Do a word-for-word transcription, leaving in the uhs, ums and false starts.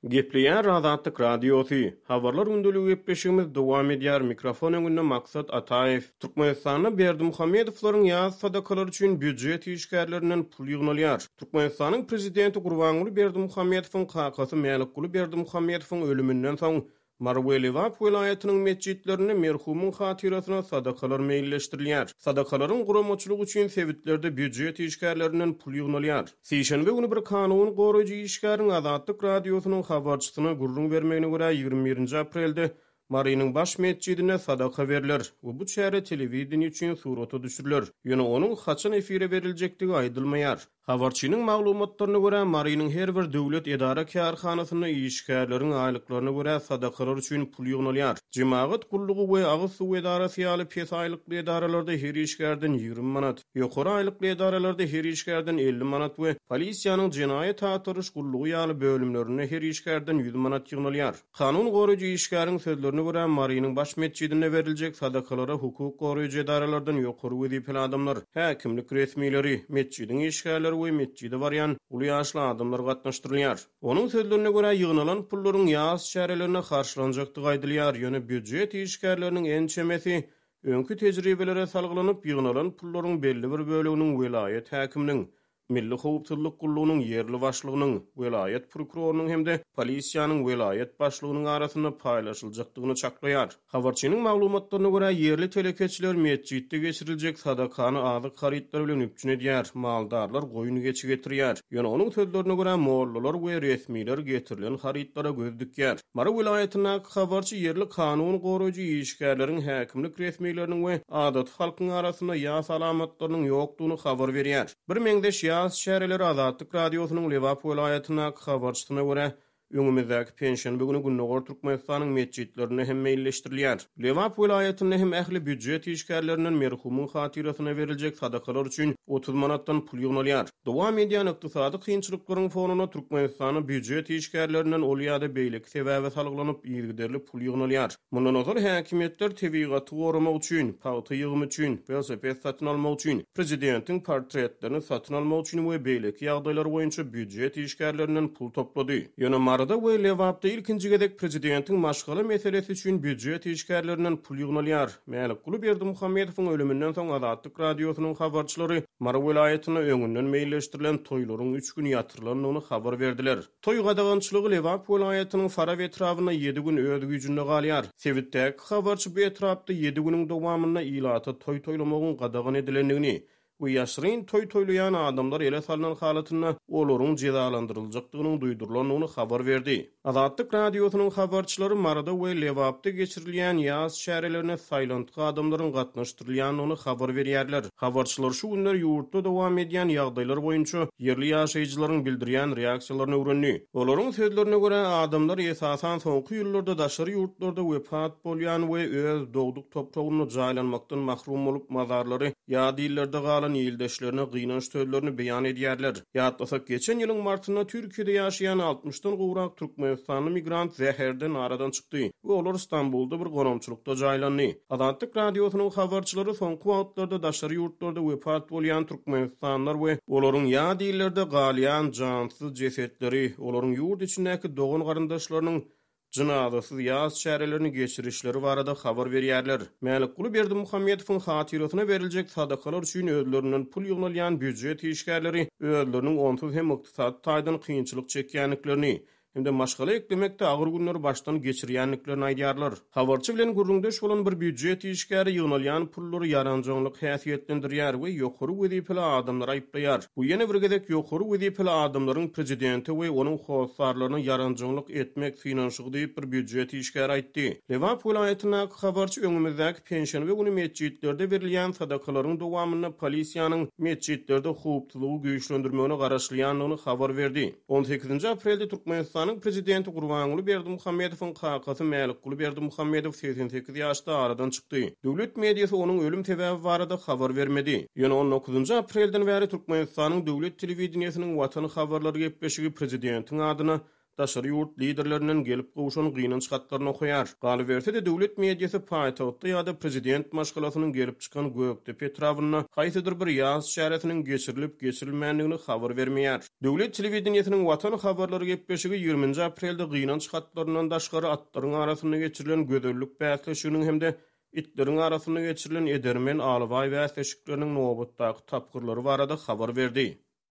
Gepleýär Azatlyk Radiosy. Habarlar gündeligi gepleşigimiz dowam edýär. Mikrofon öňünde Maksat Ataýew. Türkmenistanda Berdimuhamedowlaryň ýas sadakalary üçin býujet işgärlerinden pul ýygnalýar. Türkmenistanyň prezidenti Gurbanguly Berdimuhamedowyň kakasy Mälikguly Berdimuhamedowyň ölüminden soň Mary we Lebap welaýatynyň metjitlerinde merhumyň hatyrasyna sadakalar meýilleşdirilýär. Sadakalaryň guramaçylygy üçin sebitlerde býujet işgärlerinden pul ýygnalýar. Sişenbe güni bir kanun goraýjy işgäriň Azatlyk Radiosynyň habarçysyna gürrüň bermegine görä, ýigrimi birinji aprelde Marynyň baş metjidinde sadaka berler we bu çäre telewideniýe üçin surata düşüriler. Ýöne onuň haçan efire beriljekdigi aýdylmaýar. Habarçynyň maglumatlaryna görä, Marynyň her bir döwlet edara-kärhanasynda işgärleriň aýlyklaryna görä sadakalar üçin pul ýygnalýar. Jemagat gullugy we agyz suw edarasy ýaly pes aýlykly edaralarda her işgärden ýigrimi manat, ýokary aýlykly edaralarda her işgärden elli manat we polisiýanyň jenaýat agtaryş gullugy ýaly bölümlerinde her işgärden ýüz manat ýygnalýar. Kanun goraýjy işgäriň sözlerine görä, Marynyň baş metjidinde beriljek sadakalara hukuk goraýjy edaralardan ýokary wezipeli adamlar, häkimlik resmileri, metjidiň işgärleri we metjide barýan uly ýaşly adamlar gatnaşdyrylýar. Onuň sözlerine görä, ýygnalan pullaryň ýas çärelerine harçlanjakdygy aýdylýar, ýöne býujet işgärleriniň ençemesi öňki tejribelere salgylanyp, ýygnalan pullaryň belli bir böleginiň welaýat häkiminiň, Milli howpsuzlyk gullugynyň ýerli başlygynyň, welaýat prokurorynyň hem-de polisiýanyň welaýat başlygynyň arasynda paýlaşyljakdygyny çaklaýar. Habarçynyň maglumatlaryna görä, ýerli telekeçiler metjitde geçiriljek sadakany azyk harytlary bilen üpjün edýär, maldarlar goýun geçi getirýär. Ýöne onuň sözlerine görä, mollalar we resmiler getirilen harytlara göz dikýär. Mary welaýatyndaky habarçy ýerli kanun goraýjy işgärleriň, häkimlik resmileriniň we adaty halkyň arasynda ýas alamatlarynyň ýokdugyny habar berýär. Bir meňzeş ýas çäreleri Azatlyk Radiosynyň Lebap welaýatyndaky habarçysyna görä, öňümizdäki penşenbe güni Gündogar Türkmenistanyň metjitlerinde hem meýilleşdirilýär. Lebap welaýatynda hem ähli býujet işgärlerinden merhumyň hatyrasyna beriljek sadakalar üçin otuz manatdan pul ýygnalýar. Dowam edýän ykdysady kynçylyklaryň fonunda Türkmenistanda býujet işgärlerinden ol ýa-da beýleki sebäbe salgylanyp yzygiderli pul ýygnalýar. Mundan ozal häkimiýetler tebigaty goramak üçin, pagta ýygymy üçin, welosiped satyn almak üçin, prezidentiň portretlerini satyn almak üçin we beýleki ýagdaýlar boýunça býujet işgärlerinden pul toplady. Ýöne Maryda we Lebapda ilkinji gezek prezidentiň maşgala meselesi üçin býujet işgärlerinden pul ýygnalýar. Mälikguly Berdimuhamedowyň ölüminden soň Azatlyk Radiosynyň habarçylary Mary welaýatynda öňünden meýilleşdirilen toýlaryň üç gün ýatyrylandygyny habar berdiler. Toý gadagançylygy Lebap welaýatynyň Farap etrabynda ýedi gün öz güýjünde galýar. Sebitdäki habarçy bu etrapda ýedi günüň dowamynda ilata toý toýlamagyň gadagan edilendigini we ýaşryn toý toýlaýan adamlar ele salynan halatynda olaryň jezalandyryljakdygynyň duýdurylandygyny habar berdi. Azatlyk Radiosynyň habarçylary Maryda we Lebapda geçirilýän ýas çärelerine saýlantgy adamlaryň gatnaşdyrylýandygyny habar berýärler. Habarçylar şu günler ýurtda dowam edýän ýagdaýlar boýunça ýerli ýaşaýjylaryň bildirýän reaksiýalaryny öwrendi. Olaryň sözlerine görä, adamlar esasan soňky ýyllarda daşary ýurtlarda wepat bolýan we öz dogduk topragynda jaýlanmakdan mahrum bolup mazarlary ýa dillerde galan ildeşlerine gynanç sözlerini beýan edýärler. Ýatlasak, geçen ýylyň martynda Türkiýede ýaşaýan altmyşdan gowrak Türkmenistanly migrant zäherden aradan çykdy we olar Stambulda bir gonamçylykda jaýlandy. Azatlyk Radiosynyň habarçylary soňky wagtlarda daşary ýurtlarda wepat bolýan Türkmenistanlylar we olaryň ýa dillerde galýan jansyz jesetleri, olaryň ýurt içindäki dogan garyndaşlarynyň jynazasyz ýas çärelerini geçirişleri barada habar berýärler. Mälikguly Berdimuhamedowyň hatyrasyna beriljek sadakalar üçin özlerinden pul ýygnalýan býujet işgärleri özleriniň onsuz hem ykdysady taýdan kynçylyk çekýändiklerini hem-de maşgala eklemekde agyr günleri başdan geçirýändiklerini aýdýarlar. Habarçy bilen gürrüňdeş bolan bir býujet işgäri ýygnalýan pullary ýaranjaňlyk häsiýetlendirýär we ýokary wezipeli adamlary aýyplaýar. Bu ýene bir gezek ýokary wezipeli adamlaryň prezidente we onuň hossarlaryna ýaranjaňlyk etmek synanyşygy diýip bir býujet işgäri aýtdy. Lebap welaýatyndaky habarçy öňümizdäki penşenbe güni metjitlerde berilýän sadakalaryň dowamynda polisiýanyň metjitlerde howpsuzlygy güýçlendirmegine garaşylýandygyny habar berdi. On sekizinji aprelde Türkmenistanyň prezidenti Gurbanguly Berdimuhamedowyň kakasy Mälikguly Berdimuhamedow segsen sekiz ýaşda aradan çykdy. Döwlet mediasy onuň ölüm sebäbi barada habar bermedi. Ýöne on dokuzynjy aprelden bäri Türkmenistanyň döwlet telewideniýesiniň Watan habarlary gepleşigi prezidentiň adyna daşary ýurt liderlerinden gelip gowşan gynanç hatlaryny okaýar. Galyberse-de, döwlet mediasy paýtagtda ýa-da prezident maşgalasynyň gelip çykan Gökdepe etrabynda haýsydyr bir ýas çäresiniň geçirilip-geçirilmändigini habar bermeýär. Döwlet telewideniýesiniň Watan habarlary gepleşigi ýigriminji aprelde gynanç hatlaryndan daşgary atlaryň arasynda geçirilen gözellik bäsleşiginiň hem-de itleriň arasynda geçirilen edermen alabaý bäsleşikleriniň nobatdaky tapgyrlary barada habar berdi.